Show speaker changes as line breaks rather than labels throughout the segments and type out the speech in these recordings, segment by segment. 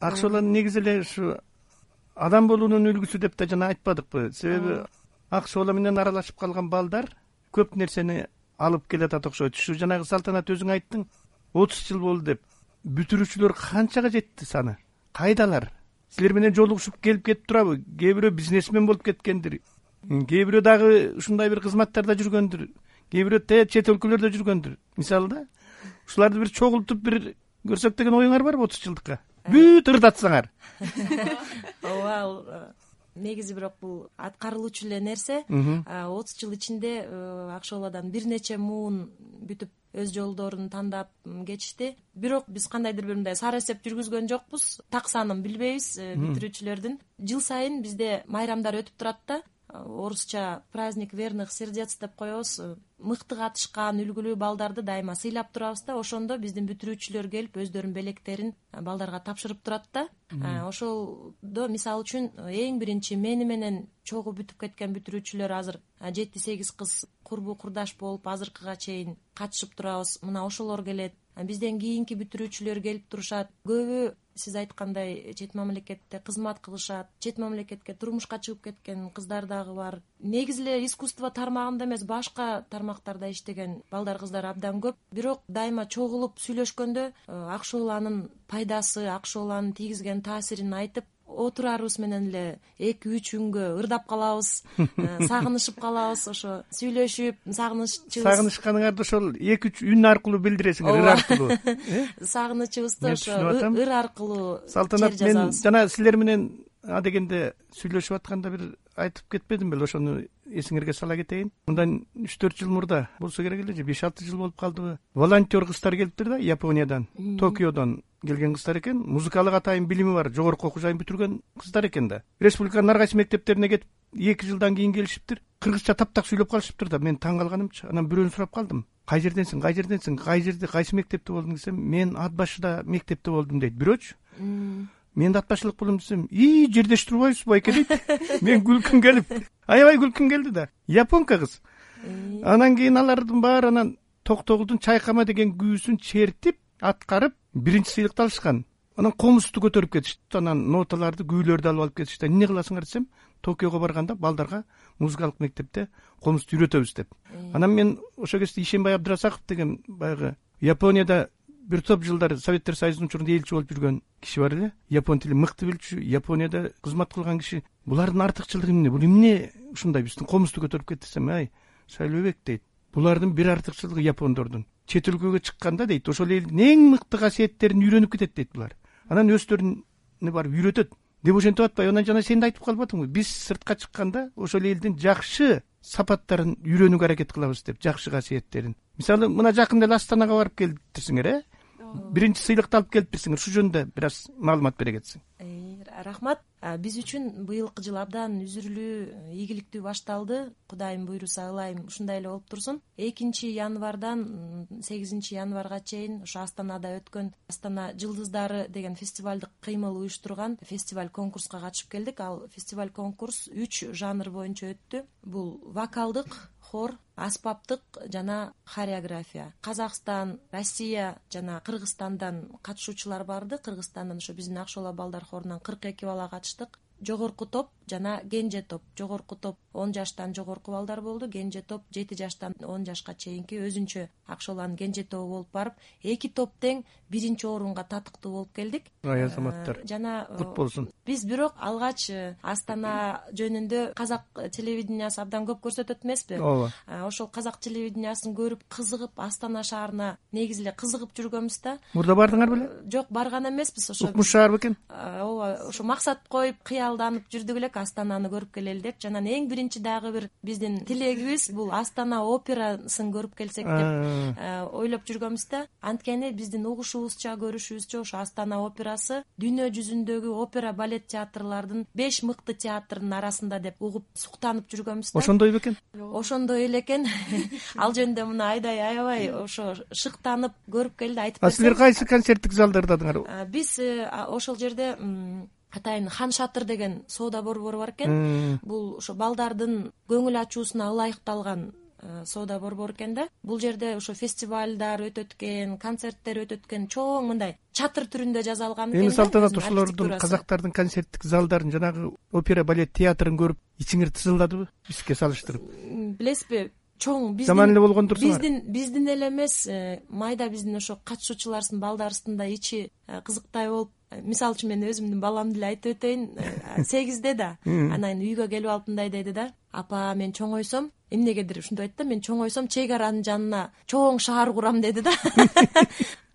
Акчолор негизи эле ушу адам болуунун үлгүсү деп да жана айтпадыкпы. Себеби Акчолор менен аралашып калган балдар көп нерсени алып келатат окшойт. Ушу жанагы Салтанат өзүң айттың, 30 жыл болду деп. Бүтүрүүчүлөр канчага жетти саны? Кайдалар? Силер менен жолугушуп келип кетип турабы? Кээ бирөө бизнесмен болуп кеткендир. Кээ бирөө дагы ушундай бир кызматтарда жүргөндүр. Кээ бирөө чет өлкөлөрдө жүргөндүр. Мисалы да, ушуларды бир чогултуп бир көрсөк деген оюңар барбы 30 жылдыкка? Бүт ырдатсаңар.
Ооба, негизи бирок бул аткарылуучу эле нерсе. 30 жыл ичинде Акчоладан бир нече муун бүтүп өз жолдорун тандап кетишти. Бирок биз кандайдыр бир мындай сары эсеп жүргүзгөн жокпуз. Так санын билбейбиз бүтүрүүчүлөрдүн. Жыл сайын бизде майрамдар өтүп турат да. Орусча праздник верных сердец деп коебуз. Мыкты катышкан үлгүлүү балдарды дайыма сыйлап турабыз да. Ошондо биздин бүтүрүүчүлөр келип өздөрүнүн белектерин балдарга тапшырып турат да. Ошолдо мисалы үчүн эң биринчи мени менен чогуу бүтүп кеткен бүтүрүүчүлөр азыр 7-8 кыз курбу курдаш болуп азыркыга чейин катышып турабыз. Мына ошолор келет. Бизден кийинки бүтүрүүчүлөр келип турушат. Көбү сиз айткандай чет мамлекетте кызмат кылышат. Чет мамлекетке турмушка чыгып кеткен кыздар дагы бар. Негизи эле искусство тармагында эмес, башка тармактарда иштеген балдар кыздар абдан көп. Бирок дайыма чогулуп сүйлөшкөндө Акчоланын пайдасы, Акчоланын тийгизген таасирин айтып отурарыбыз менен эле 2-3 күнгө ырдап калабыз, сагынышып калабыз. Ошо сүйлөшүп,
сагынышканыңарды ошол 2-3 үн аркылуу билдиресиңер, ыр аркылуу.
Сагынычыбызды ошо ыр аркылуу
Салтанат, мен жана силер менен адегенде сүйлөшүп атканда бир айтып кетпедим беле, ошону эсиңерге сала кетейин. Мындан 3-4 жыл мурда болсо керек эле, же 5-6 жыл болуп калдыбы? Волонтер кыздар келиптир да, Япониядан, Токиодон келген кыздар экен. Музыкалык атайын билими бар, жогорку окуу жайын бүтүргөн кыздар экен да. Республиканын ар кайсы мектептерине кетип 2 жылдан кийин келишиптир. Кыргызча таптак сүйлөп калышыптыр да. Мен таң калганымчы. Анан бирөөнү сурап калдым. Кай жерденсиң, кай жерде, кайсы мектепте болдуң десем, мен ат башыда мектепте болдум дейт бирөөчү. Мен да ат башылык болом десем, жердеш турбайбызбы байке дейт. Мен күлкүм келип, аябай күлкүм келди да. Японка кыз. Анан кийин алардын баары анан Токтогулдун Чайкама деген күүсүн чертип, аткарып, биринчи сыйлыкты алышкан. Анан комузду көтөрүп кетишти. Анан ноталарды, күүлөрдү алып кетишти. Эмне кыласыңар десем, Токиого барганда балдарга музыкалык мектепте комузду үйрөтөбүз деп. Анан мен ошол кезде Ишенбай Абдрасаков деген баягы Японияда бир топ жылдар Советтер Союзунун учурунда элчи болуп жүргөн киши бар эле. Япон тилин мыкты билчү, Японияда кызмат кылган киши. Булардын артыкчылыгы эмне? Бул эмне ушундай биздин комузду көтөрүп кетти десем, Шайлообек дейт. Булардын бир артыкчылыгы япондордун. Чет өлкөгө чыкканда дейт, ошол элдин эң мыкты касиеттерин үйрөнүп кетет дейт булар. Анан өздөрүнө барып үйрөтөт деп ошентип атпайбы? Анан жана сен да айтып калбадыңбы? Биз сыртка чыкканда ошол элдин жакшы сапаттарын үйрөнүүгө аракет кылабыз деп, жакшы касиеттерин. Мисалы, мына жакында эле Астанага барып келиптирсиңер, биринчи сыйлыкты алып келиптирсиңер. Ушу жөнүндө бир аз маалымат бере кетсең.
Рахмат. Биз үчүн быйылкы жыл абдан үзүрлүү, ийгиликтүү башталды. Кудайым буйруса, ылайым ушундай эле болуп турсун. 2 январдан 8 январга чейин ошо Астанада өткөн Астана жылдыздары деген фестивалдык кыймыл уюштурган фестиваль конкурска катышып келдик. Ал фестиваль конкурс 3 жанр боюнча өттү. Бул вокалдык, хор, аспаптык жана хореография. Казакстан, Россия жана Кыргызстандан катышуучулар барды. Кыргызстандан ошо биздин Акчола балдар хорунан 42 бала катыштык. Жогорку топ жана кенже топ. Жогорку топ 10 жаштан жогорку балдар болду. Кенже топ 7 жаштан 10 жашка чейинки өзүнчө Акчоланын кенже тобу болуп барып, 2 топ тең 1-орунга татыктуу болуп келдик.
Азаматтар
жана
кут болсун.
Биз бирок алгач Астана жөнүндө казак телевидениясы абдан көп көрсөтөт эмеспи?
Ооба.
Ошол казак телевидениясын көрүп, кызыгып, Астана шаарына негизи эле кызыгып жүргөнбүз да.
Мурда бардыңар беле?
Жок, барган эмеспиз. Ошо
укмуш шаар бекен?
Ооба, ошо максат коюп, кыялданып жүрдүк элек Астананы көрүп келели деп. Жана эң биринчи дагы бир биздин тилегибиз бул Астана операсын көрүп келсек деп ойлоп жүргөнбүз да. Анткени биздин угушубузча, көрүшүбүзчө ошо Астана операсы дүйнө жүзүндөгү опера балет театрлардын 5 мыкты театрынын арасында деп угуп суктанып жүргөнбүз да.
Ошондой бекен?
Ошондой эле экен. Ал жөнүндө мына Айдай аябай ошо шыктанып көрүп келди, айтып берсем.
Силер кайсы концерттик залдардадыңар?
Биз ошол жерде атайын Хан Шатыр деген соода борбору бар экен. Бул ошо балдардын көңүл ачуусуна ылайыкталган соода борбору экен да. Бул жерде ошо фестивалдар өтөт экен, концерттер өтөт экен, чоң мындай чатыр түрүндө жасалган экен.
Эми Салтанат ошолордун казактардын концерттик залдарын, жанагы опера балет театрын көрүп ичиңер тызылдадыбы бизге салыштырып?
Билесизби, чоң
жаман эле болгондурсуңар.
Биздин эле эмес, майда биздин ошо катышуучулардын балдарыбыздын да ичи кызыктай болуп, мисалы үчүн мен өзүмдүн баламды эле айтып өтөйүн. 8-де да, анан үйгө келип алып мындай деди да: апа, мен чоңойсом, эмнегедир ушинтип айтты да, мен чоңойсом чек аранын жанына чоң шаар курам деди да.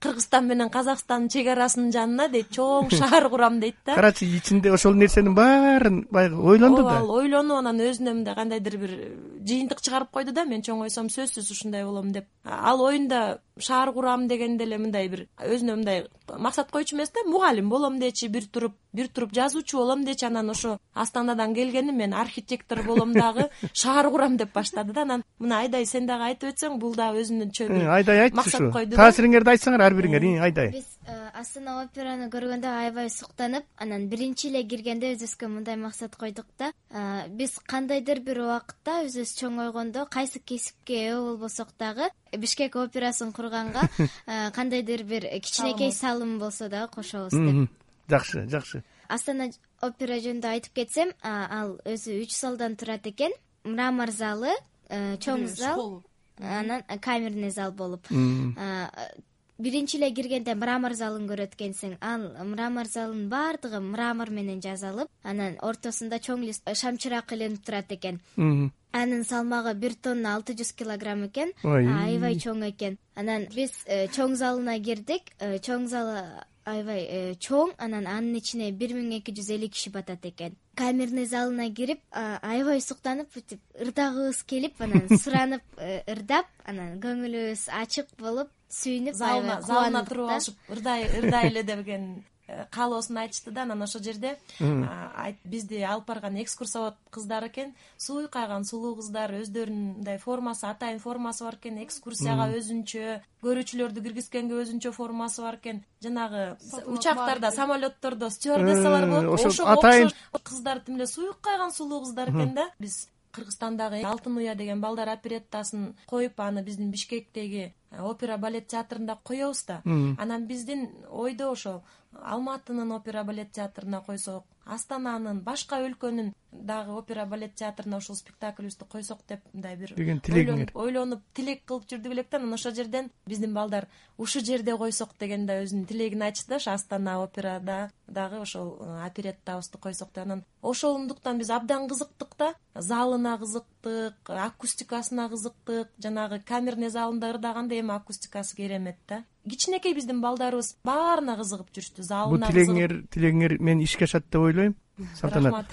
Кыргызстан менен Казакстандын чек арасынын жанына дейт, чоң шаар курам дейт да.
Карачы, ичинде ошол нерсенин баарын баягы ойлонду да.
Ал ойлонуп, анан өзүнө мындай кандайдыр бир жыйынтык чыгарып койду да: мен чоңойсом сөзсүз ушундай болом деп. Ал оюнда шаар курам дегенде эле мындай бир өзүнө мындай максат койчу эмес да, мугалим болом дечи, бир туруп жазуучу болом дечи. Анан ошо Астанадан келгени мен архитектор болом дагы, шаар курам деп баштады да. Анан мына Айдай, сен дагы айтып өтсөң, бул дагы өзүнчө бир
Айдай айтчы
максат койду.
Таасириңерди айтсаңар ар бириңер. Айдай.
Биз Астана операны көргөндө аябай суктанып, анан биринчи эле киргенде өзүбүзгө мындай максат койдук да: биз кандайдыр бир убакытта өзүбүз чоңойгондо кайсы кесипке ээ болбосок дагы Бишкек операсын курганга кандайдыр бир кичинекей салым болсо дагы кошобуз деп.
Жакшы.
Астана опера жөнүндө айтып кетсем, ал өзү 3 залдан турат экен. Мрамор залы, чоң зал, анан камерный зал болуп. Биринчи эле киргенде мрамор залын көрөт экенсиң. Ал мрамор залынын баардыгы мрамор менен жасалып, анан ортосунда чоң лист шамчырак иленип турат экен. Анын салмагы 1 тонна 600 килограмм экен. Аябай чоң экен. Анан биз чоң залына кирдик. Чоң залы аябай чоң, анан анын ичине 1250 киши батат экен. Камерный залына кирип, аябай суктанып, бүтүп ырдагыбыз келип, анан суранып ырдап, анан көңүлүбүз ачык болуп, сүйүнүп,
залына туруп алышып ырдай эле деген каалоосун айтышты да. Анан ошол жерде бизди алып барган экскурсовод кыздар экен, суйкайган сулуу кыздар, өздөрүнүн мындай формасы, атайын формасы бар экен. Экскурсияга өзүнчө, көрүүчүлөрдү киргизгенге өзүнчө формасы бар экен. Жанагы учактарда, самолеттордо стюардессалар болот, ошого окшош кыздар, тим эле суйкайган сулуу кыздар экен да. Биз Кыргызстандагы Алтын уя деген балдар опереттасын коюп, аны биздин Бишкектеги опера балет театрында коебуз да. Анан биздин ойдо ошо Алматынын опера балет театрына койсок, Астананын, башка өлкөнүн дагы опера балет театрына ушул спектаклибизди койсок деп мындай бир ойлонуп тилек кылып жүрдүк элек да. Анан ошол жерден биздин балдар ушул жерде койсок деген да өзүнүн тилегин айтышты да. Ошо Астана операда дагы ошол опереттабызды койсок деп. Анан ошондуктан биз абдан кызыктык да. Залына кызыктык, акустикасына кызыктык. Жанагы камерный залында ырдаганда эми акустикасы керемет да. Кичинекей биздин балдарыбыз баарына кызыгып жүрүштү. Залына
бул тилегиңер мен ишке ашат деп ойлойм, Салтанат.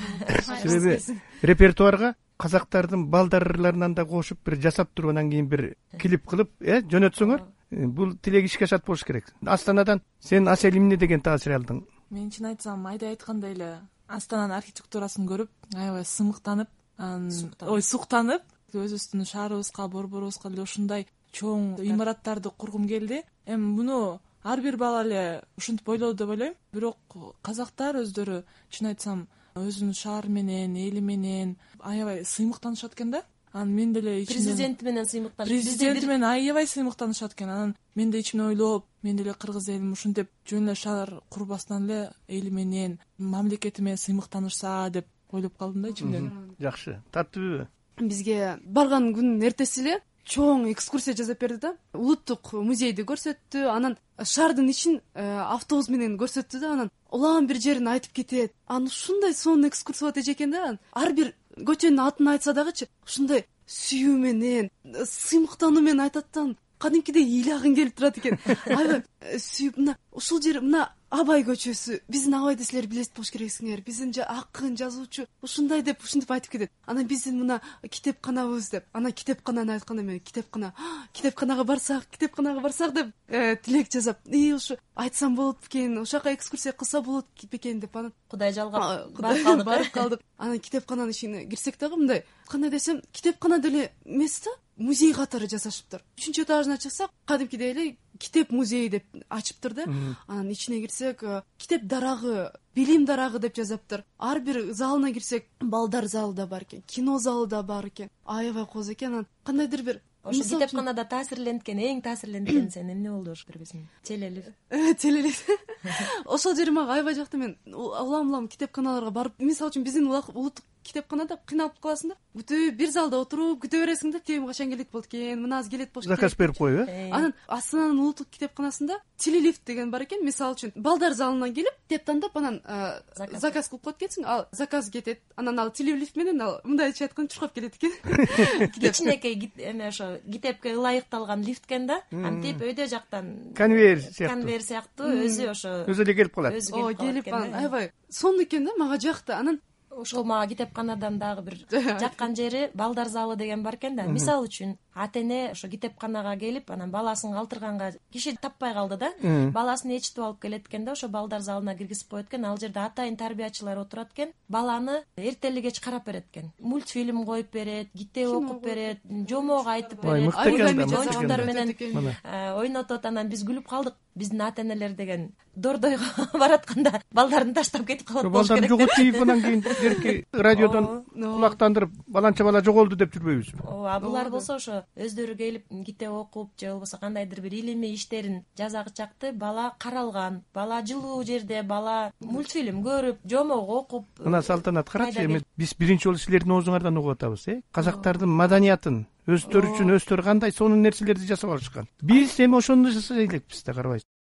Себеби репертуарга казактардын балдарларынан да кошуп бир жасап туруп, анан кийин бир клип кылып жөнөтсөңөр, бул тилек ишке ашат болуш керек. Астанадан сен Асель эмне деген таасир алдың?
Мен чын айтсам, Айдай айткандай эле Астананын архитектурасын көрүп, аябай сымыктанып, суктанып, өзүбүздүн шаарыбызга, борборубузга эле ушундай чоң имараттарды кургум келди. Эми муну ар бир бала эле ушинтип ойлоду деп ойлойм. Бирок казактар өздөрү, чын айтсам, өзүнүн шаары менен, эли менен аябай сыймыктанышат экен да. Анан мен деле
президенти менен сыймыктанышат.
Президенти менен аябай сыймыктанышат экен. Анан мен деле ичимден ойлоп, мен деле кыргыз элим ушинтип жөн эле шаар курбастан эле эли менен, мамлекети менен сыймыктанышса деп ойлоп калдым да ичимден.
Жакшы. Таттыбы?
Бизге барган күнүн эртеси эле чоң экскурсия жасап берди да. Улуттук музейди көрсөттү, анан шаардын ичин автобус менен көрсөттү да. Анан улам бир жерин айтып кетет. Анан ушундай сонун экскурсовод экен да. Ар бир көчөнүн атын айтса дагычы ушундай сүйүү менен, сыймыктануу менен айтат да. Кадимкидей ыйлагың келип турат экен. Аябай сүйүп, мына ушул жер, мына Абай көчөсү, биздин Абайды силер билет болуш керексиңер, биздин акын, жазуучу ушундай деп ушинтип айтып кетет. Анан биздин мына китепканабыз деп, анан китепкананы айтканда мен китепканага барсак деп тилек жасап, ушу айтсам болот бекен, ошака экскурсия кылса болот бекен деп, анан
Кудай жалгап барып
калдык. Анан китепкананын ичине кирсек дагы мындай, кандай десем, китепкана деле эмес да. музей катары жасашыптыр. 3-этажына чыксак, кадимкидей эле китеп музейи деп ачыптыр да. Анан ичине кирсек, китеп дарагы, билим дарагы деп жазаптыр. Ар бир залына кирсек, балдар залы да бар экен, кино залы да бар экен. Аябай кооз экен. Анан кандайдыр бир
ошо китепканада эң таасирленткен сен эмне болду ошо бербесиң?
Телелив. Ошол жери мага аябай жакты. Мен улам китепканаларга барып, мисалы үчүн биздин улуттук китепканада кыйналып каласың да, бүтүп бир залда отуруп күтө бересиң да, тем качан келет болот экен, мына аз келет болуш керек.
Заказ берип коюп,
Анан Астананын улуттук китепканасында телелифт деген бар экен. Мисалы үчүн балдар залынан келип, китеп тандап, анан заказ кылып коет экенсиң. Ал заказ кетет. Анан ал телелифт менен ал мындайча айтканда чуркап келет экен.
Кичинекей эме ошо китепке ылайыкталган лифт экен да. Антип өйдө жактан
конвейер
сыяктуу өзү ошо
өзү эле келип калат.
Келип аябай сонун экен да, мага жакты. Анан
ошол мага китепканадан дагы бир жаккан жери балдар залы деген бар экен да. Мисалы үчүн ата эне ошо китепканага келип, анан баласын калтырганга киши таппай калды да. Баласын ээрчитип алып келет экен да, ошо балдар залына киргизип коет экен. Ал жерде атайын тарбиячылар отурат экен. Баланы эртели кеч карап берет экен. Мультфильм коюп берет, китеп окуп берет, жомок айтып берет, ойночтор менен ойнотот. Анан биз күлүп калдык. Биздин ата энелер деген дордойго баратканда балдарын таштап кетип калат болуш керек.
Балдарды жоготуп, анан кийин берки радиодон кулактандырып, баланча бала жоголду деп жүрбөйбүзбү?
Ооба, булар болсо ошо өздөрү келип китеп окуп же болбосо кандайдыр бир илимий иштерин жасагычакты бала каралган, бала жылуу жерде, бала мультфильм көрүп, жомок окуп.
Мына Салтанат, карачы, эми биз биринчи жолу силердин оозуңардан угуп атабыз, казактардын маданиятын өздөрү үчүн өздөрү кандай сонун нерселерди жасап алышкан. Биз эми ошону жасай элекпиз да, карабайсызбы?